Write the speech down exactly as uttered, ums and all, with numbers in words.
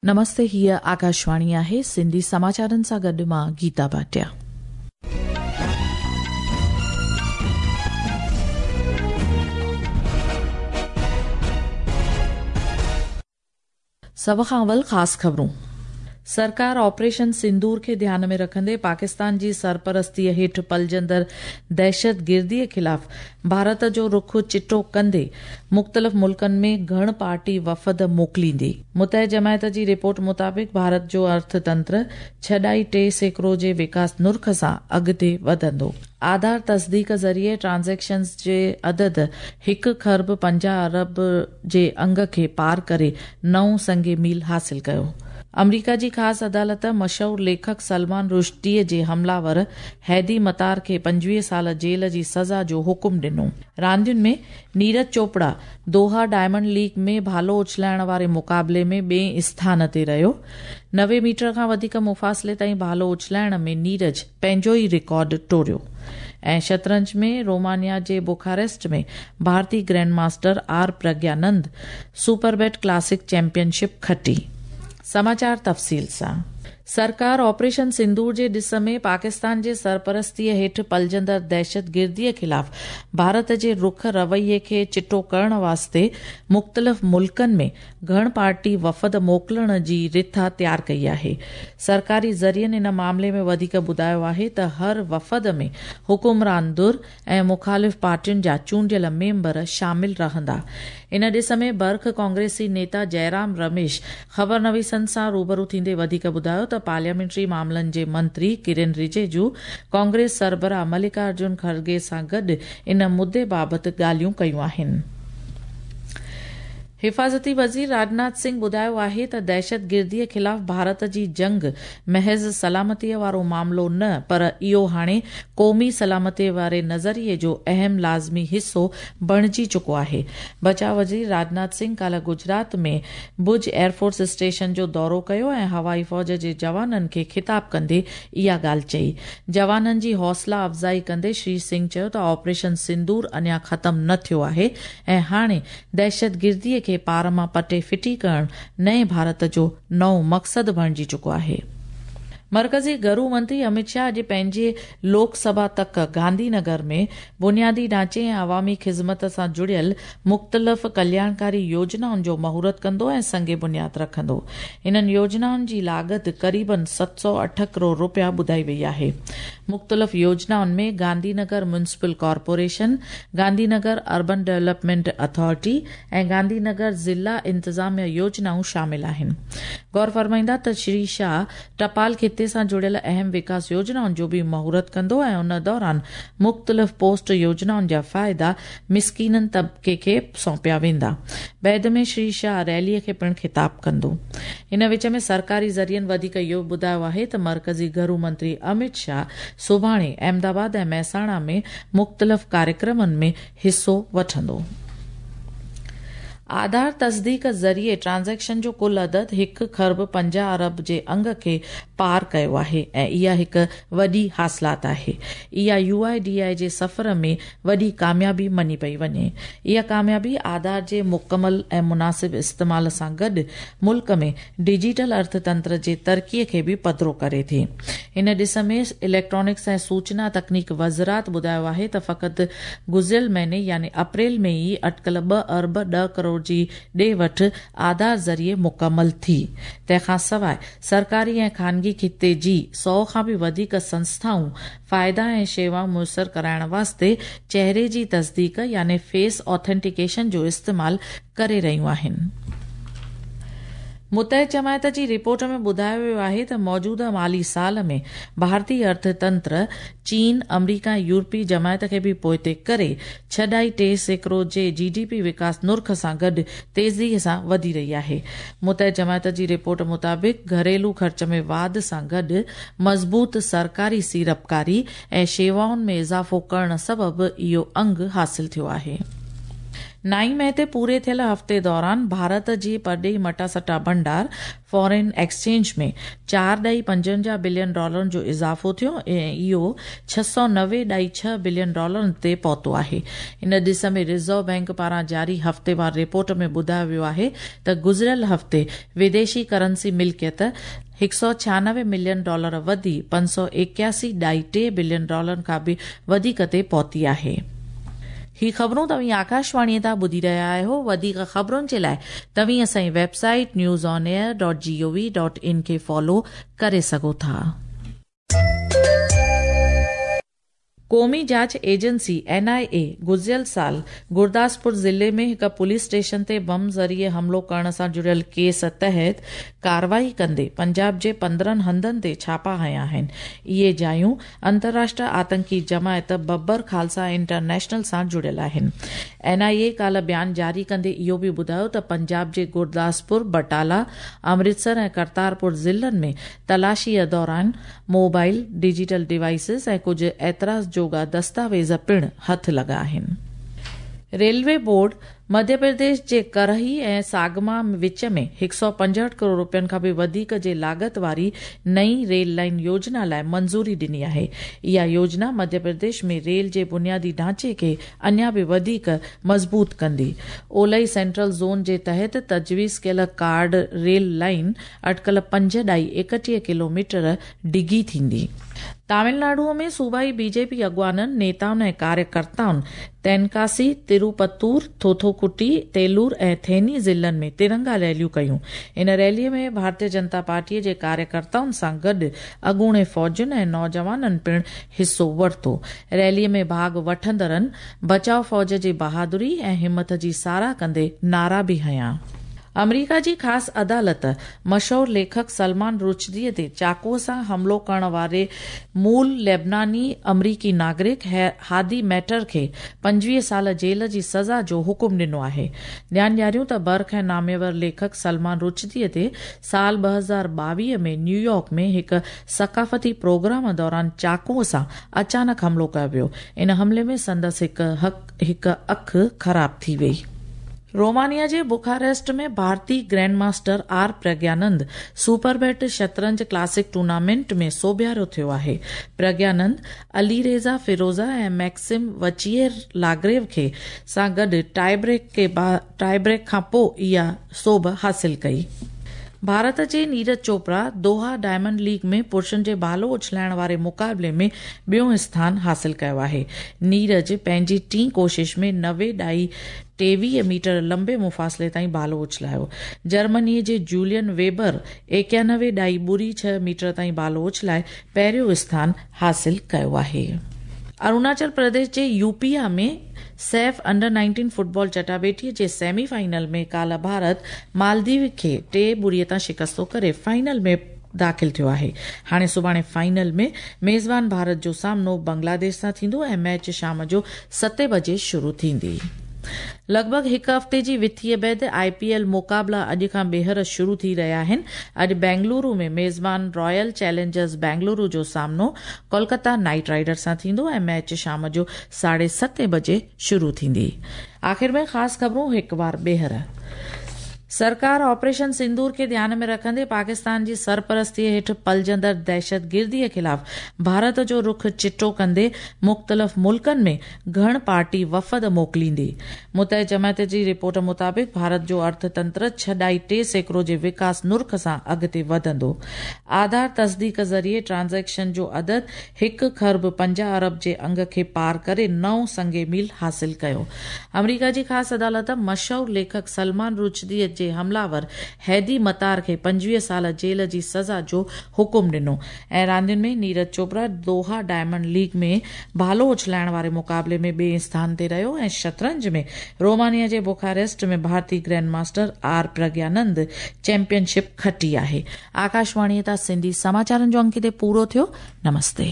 नमस्ते, हीअ आकाशवाणी आहे। सिंधी समाचारनि सां गॾु मां गीता भाटिया। सभ खां अवल ख़ासि ख़बरूं। सरकार ऑपरेशन सिंदूर खे ध्यान में रखंदे पाकिस्तान जी सरपरस्तीअ हेठि पलजंदड़ दहशतगिर्दीअ ख़िलाफ़ भारत जो रुख चिटो कंदे मुख़्तलिफ़ मुल्कनि में घण पार्टी वफ़द मोकिलींदी। मुतह जमायत जी रिपोर्ट मुताबिक़ भारत जो अर्थतंत्र छह ॾाई टे सैकड़ो जे विकास नुर्ख सां अॻिते वधंदो। आधार तस्दीक ज़रिए ट्रांज़ैक्शन्स जे अदद हिकु खरब पंजाह अरब जे अंग खे पार करे नओं संग मील हासिल कयो। अमरीका जी ख़ासि अदालत मशहूर लेखक सलमान रुश्दीअ जे हमलावर हैदी मतार खे पंजवीह साल जेल जी सज़ा जो हुकुम ॾिनो। रांदियुनि में Neeraj Chopra Doha Diamond League में भालो उछलाइण वारे मुक़ाबले में ॿिए स्थान ते रहियो। नवे मीटर खां वधीक मुफ़ासिले ताईं भालो उछलाइण में नीरज पंहिंजो ई रिकॉर्ड टोड़ियो। ऐं शतरंज में रोमानिया जे बुखारेस्ट में भारतीय grand master R Praggnanandhaa Superbet Classic championship खटी। समाचार तफ़सील सां। सरकार ऑपरेशन सिंदूर जे ॾिस में पाकिस्तान जे सरपरस्तीअ हेठि पलजंदड़ दहशतगिर्दीअ ख़िलाफ़ भारत जे रुख रवैये खे चिटो करण वास्ते मुख़्तलिफ़ मुल्कनि में घण पार्टी वफ़द मोकिलण जी रिथा तयार कई आहे। सरकारी ज़रियनि इन मामले में वधीक ॿुधायो आहे त हर वफ़द में हुकुमरान धुर ऐं मुखालिफ़ पार्टियुनि जा चूंडियल मेंबर शामिल रहंदा। इन ॾिस में बर्ख कांग्रेसी नेता जयराम रमेश ख़बर नवीसनि सां रूबरू थींदे वधीक ॿुधायो त पार्लियामेंट्री मामलनि जे मंत्री किरण रिजिजू कांग्रेस सरबराह मल्लिकार्जुन खड़गे सां गॾु इन मुद्दे बाबति ॻाल्हियूं कयूं आहिनि। हिफाज़ती वज़ीर राजनाथ सिंह ॿुधायो आहे त दहशतगिर्दीअ ख़िलाफ़ भारत जी जंग महज़ सलामतीअ वारो मामलो न पर इहो हाणे क़ौमी सलामतीअ वारे नज़रिए जो अहम लाज़मी हिसो बणिजी चुको आहे। बचाव वज़ीर राजनाथ सिंह काल्ह गुजरात में भुज एयरफोर्स स्टेशन जो दौरो कयो ऐं हवाई फ़ौज जे जवाननि खे ख़िताब कंदे इहा ॻाल्हि चई। जवाननि जी हौसला अफ़ज़ाई कंदे श्री सिंह चयो त ऑपरेशन सिंदूर अञा ख़तमु न थियो आहे ऐं हाणे दहशतगिर्दीअ खे पार मां पटे फिटी करण नए भारत जो नओं मक़सदु बणिजी चुको आहे। मरकज़ी घरू मंत्री अमित शाह अॼु पंहिंजे लोकसभा तक गांधीनगर में बुनियादी ढांचे ऐं अवामी ख़िज़मत सां जुड़ियल मुख़्तलिफ़ कल्याणकारी योजनाउनि जो मुहूर्त कंदो ऐं संग बुनियाद रखंदो। इन्हनि योजनाउनि जी लागत क़रीबन सत सौ अठ करोड़ रुपया ॿुधाई वई आहे। मुख़्तलिफ़ योजनाउनि में Gandhinagar municipal corporation, Gandhinagar urban development authority ऐं गांधीनगर ज़िला इंतिज़ामिया योजनाऊं शामिल आहिनि। गौर फरमाईंदा त श्री शाह टपाल खिते सां जुड़ियल अहम विकास योजनाउनि जो बि मुहूर्त कंदो ऐं उन दौरान मुख़्तलिफ़ पोस्ट योजनाउनि जा फ़ाइदा मिसकीननि तबिके खे सौंपिया वेंदा। बैद में श्री शाह रैलीअ खे पिणु ख़िताब कंदो। इन विच में सरकारी ज़रियनि वधीक इहो ॿुधायो आहे त मरकज़ी घरू मंत्री अमित शाह सुभाणे अहमदाबाद ऐं महसाणा में मुख़्तलिफ़ कार्यक्रमनि में हिसो वठंदो। आधार तस्दीक ज़रिए ट्रांज़ैक्शन जो कुल अदद हिकु खरब पंजाह अरब जे अंग खे पार कयो आहे ऐं इहा हिकु वॾी हासिलात आहे। इहा you I D I जे सफ़र में वॾी कामयाबी मञी पई वञे। इहा कामयाबी आधार जे मुकमल ऐं मुनासिब इस्तेमाल सां गॾु मुल्क में डिजिटल अर्थतंत्र जे तरक़ीअ खे बि पधरो करे थी। इन ॾिस में इलेक्ट्रॉनिक्स ऐं सूचना तकनीक वज़ारत ॿुधायो आहे त फ़क़ति गुज़िरियल महीने यानी अप्रैल में ई अटकल ॿ अरब ॾह करोड़ जी ॾे वठि आधार ज़रिए मुकमल थी। तंहिंखां सवाइ सरकारी ऐं खानगी खिते जी सौ खां बि वधीक संस्थाऊं फ़ाइदा ऐं शेवाऊं मुयसर कराइण वास्ते चेहरे जी तस्दीक यानी फेस ऑथेंटिकेशन जो इस्तेमाल करे रहियूं आहिनि। मुतह जमायत जी रिपोर्ट में ॿुधायो वियो आहे त मौजूदा माली साल में भारतीय अर्थतंत्र चीन, अमरीका ऐं यूरोपीय जमायत खे बि पोइते करे छह ॾाई टे सैकड़ो जे जी डी पी विकास नुर्ख सां गॾु तेज़ीअ सां वधी रही आहे। मुतह जमायत जी रिपोर्ट मुताबिक़ घरेलू ख़र्च में वाध सां गॾु मज़बूत सरकारी सीड़पकारी ऐं शेवाउनि में इज़ाफ़ो करण सबबु इहो अंग हासिल थियो आहे। نائين مئي تي پوري ٿيل هفتي دوران ڀارت جي پرڏيهي مٽاسٽا ڀنڊار فارين ايڪسچينج ۾ چار ڏهائي پنجونجاهه بلين ڊالرن جو اضافو ٿيو ۽ اهو ڇهه سؤ نوي ڏهائي ڇهه بلين ڊالرن تي پهتو آهي. ان ڏس ۾ رزرو بئنڪ پاران جاري هفتيوار رپورٽ ۾ ٻڌايو ويو آهي ته گذريل هفتي وديشي ڪرنسي ملڪيت هڪ سؤ ڇهانوي ملين ڊالر وڌي پنج سؤ ايڪياسي ڏهائي ٽي بلين ڊالرن کان به وڌيڪ تي پهتي آهي. هي خبرون توهين آڪاشواڻيء تان ٻڌي رهيا آهيو. وڌيڪ خبرن جي لاء توهين اسان جي website news on air dot G O V dot in کي فالو ڪري سگهو ٿا. قومي جاچ ايجنسي اين آء اي گذريل سال گرداسپور ضلعي ۾ هڪ پوليس اسٽيشن تي بم ذريعي حملو ڪرڻ سان جڙيل ڪيس تحت ڪارروائي ڪندي پنجاب جي پندرهن هنڌن تي ڇاپا هنيا آهن. اهي جايون انترراشٽر آتنڪي جماعت ببر خالصا انٽرنيشنل سان جڙيل آهن. اين آء اي ڪالهه بيان جاري ڪندي اهو به ٻڌايو ته پنجاب جي گرداسپور، بٽالا، امرتسر ۽ ڪرتارپور ضلعن ۾ تلاشيء دوران موبائل، ڊجيٽل ڊوائيسز ۽ ڪجهه اعتراض جوڳا دستاويز پڻ هٿ لڳا آهن. ريلوي بورڊ مڌيه پرديش جي ڪرهي ۽ ساگما وچ ۾ هڪ سؤ پنجهٺ ڪروڙ روپين کان به وڌيڪ جي لاڳت واري نئين ريل لائين يوجنا لاء منظوري ڏني آهي. اها يوجنا مڌيه پرديش ۾ ريل جي بنيادي ڍانچي کي اڃا به وڌيڪ مضبوط ڪندي. اولهي سينٽرل زون جي تحت تجويز ڪيل ڪارڊ ريل لائين اٽڪل پنج ڏهائي ايڪٽيهه ڪلوميٽر ڊگهي ٿيندي. تامل ناڊو ۾ صوبائي بي جي پي اڳواڻن، نيتائن ۽ ڪاريڪرتائن تينڪاسي، تروپتور، ٿوٿوڪٽي، تيلور ۽ ٿيني ضلعن ۾ ترنگا ريليون ڪيون. ان ريلي ۾ ڀارتيه جنتا پارٽي جي ڪاريڪرتائن سان گڏ اڳوڻي فوجين ۽ نوجوانن پڻ حصو ورتو. ريلي ۾ ڀاڳ وٺندڙن بچاء فوج جي بهادري ۽ همٿ جي ساراهه ڪندي نعرا به هنيا. آمريڪا جي خاص عدالت مشهور ليکڪ سلمان رشدي تي چاقوء سان حملو ڪرڻ واري مول لبناني آمريڪي ناگرڪ هادي ميٽر کي پنجويهه سال جيل جي سزا جو حڪم ڏنو آهي. ڌيان ڏياريون ته برک ۽ ناميور ليکڪ سلمان رشدي تي سال ٻه هزار ٻاويهه ۾ نيويارڪ ۾ هڪ ثقافتي پروگرام دوران چاقوء سان اچانڪ حملو ڪيو ويو. ان حملي ۾ سندس هڪ اک خراب ٿي وئي. رومانيا جي بخاريسٽ ۾ ڀارتي grand master R Praggnanandhaa Superbet شطرنج ڪلاسڪ ٽورنامينٽ ۾ سوڀيارو ٿيو آهي. پرگيانند علي ريزا فيروزا ۽ ميڪسم وچيئر لاگريو کي سان گڏ ٽائي بريڪ کان پوءِ اها سوڀ حاصل ڪئي. ڀارت جي نيرج چوپڙا دوها ڊائمنڊ ليگ ۾ پرشن جي ڀالو اڇلائڻ واري مقابلي ۾ ٻيون اسٿان حاصل ڪيو آهي. نيرج پنهنجي ٽين ڪوشش ۾ نوي ڏهائي ٽيويهه ميٽر لمبي مفاصلي تائين ڀالو اڇلايو. جرمني جي جولين ويبر ايڪانوي ڏهائي ٻڙي ڇهه ميٽر تائين ڀالو اڇلائي پهريون اسٿان حاصل ڪيو آهي. اروناچل پرديش جي يوپيا ۾ سيف انڊر نائنٽين فٽبال چٽاڀيٽي جي سيمي فائنل ۾ ڪالهه ڀارت مالديو کي ٽي ٻڙي تان شڪستو ڪري فائنل ۾ داخل ٿيو آهي. هاڻي سڀاڻي فائنل ۾ ميزبان ڀارت جو سامنو بنگلاديش سان ٿيندو ۽ ميچ شام جو ستين بجي شروع ٿيندي. لڳ ڀڳ هڪ هفتي جي وٿيءَ بعد آءِ پي ايل مقابلا اڄ کان ٻيهر شروع ٿي رهيا آهن. اڄ بينگلورو ۾ ميزبان رائل چئلينجرز بينگلورو جو سامنو ڪولڪتا نائيٽ رائيڊرز سان ٿيندو ۽ ميچ شام جو ساڍي ستين بجي شروع ٿيندي. آخر ۾ خاص خبرون هڪ بار ٻيهر. سرڪار آپريشن سندور کي ڌيان ۾ رکندي پاڪستان جي سرپرستيءَ هيٺ پلجندڙ دهشتگرديءَ خلاف ڀارت جو رخ چٽو ڪندي مختلف ملڪن ۾ گهڻ پارٽي وفد موڪليندي. متحده جماعت جي رپورٽ مطابق ڀارت جو ارٿتنتر ڇهه ڏهائي ٽي سيڪڙو جي وڪاس نرخ سان اڳتي وڌندو. آڌار تصديق ذريعي ٽرانزيڪشن جو عدد هڪ کرب پنجاهه ارب جي انگ کي پار ڪري نئون سنگ ميل حاصل ڪيو. آمريڪا جي خاص عدالت مشهور ليکڪ سلمان رشدي جي حملاور هيدي متار کي پنجويهه سال جيل جي سزا جو حڪم ڏنو. ۽ راندين ۾ نيرج چوپڙا دوها ڊائمنڊ ليگ ۾ ڀالو اڇلائڻ واري مقابلي ۾ ٻئي اسٿان تي رهيو ۽ شطرنج ۾ رومانيا جي بخاريسٽ ۾ ڀارتي grand master R Praggnanandhaa championship کٽي آهي. آڪاشواڻيءَ تان سنڌي سماچارن جو انگ هتي پورو ٿيو. نمستي.